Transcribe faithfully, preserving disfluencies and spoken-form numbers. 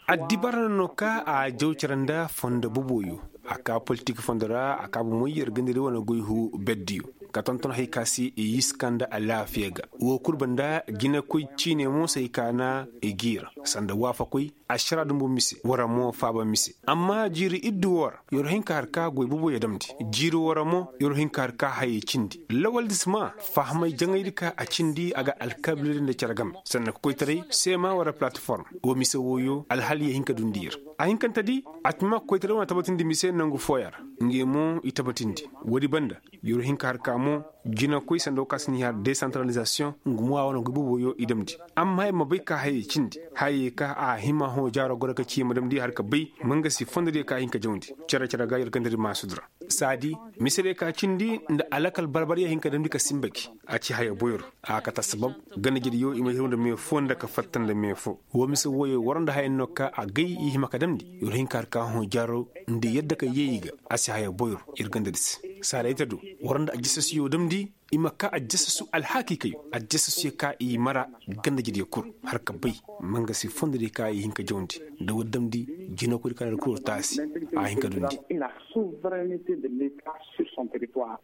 Addibar no ka a jaw cere nda fondo boboyo. A ka politik fondo ra a ka bomey yer ganda day wane goy huu berdiyo, ka tonton hay ka se i yiska nda alaafiya ga. Woo kul banda jinekoy ciine mo se hay ka na i giira sanda waafakoy, ašara dumbu mise wara mo faaba mise. Amma jiiri iddu woo ra yer hin ka har ka goy boboyo damndi. Jiiri woo ra mo yer hin ka har ka hayey cindi lawaldi si maa fahamay jaŋaydi ka a cindi a ga alkaabiliyadi nda cere game. Sanda ka koytaray seema wara palatiform. Woo mise wooyo alhal yee hin ka dundi yer. A hinkantedi, a tuma koytaray wane tabatindi mise nangu fooyaŋ ra. Ngey mo i tabatindi. Woodi banda, yer hin ka har ka mo, jinakoy sanda woo ka se ni har desantaralizasiyoŋ, nga mo a wane goy boboyo i damndi. Amma yer ma bay ka hayey cindi, hayey ka a hima hõ jaaro goro ka ci yer ma damndi har ka bay, mangasi fondodiyo ka a hin ka jawndi cere cere ga yer gandadi maasudi ra. Saadi, mise diyo ka cindi nda alakal barbaryaŋ hin ka damndi ka sinba gi. A ci haya boyro. A kate assabab, gandajediyo i ma hiraw nda mee foo nda ka fatta nda mee foo. Woo mise wooyo war nda hayaŋ no ka a gay i hima ka damndi. Yer hin ka har ka hõ jaaro nda yadda ka yee i ga. A si haya boyro, yer gandadi se. Saadi ay ta do, war nda ajasasuyo damndi. I ma ka ajasasu alhakiikayo ajasasuyo ka i mara, gandajediyo kul, har ka bay, mangasi fondodiyo ka i hin ka jawndi. Nda war damndi, jinakoydi ka na ir kul taasi, a hin ka dundi. Souverenete de leta sur son territoire.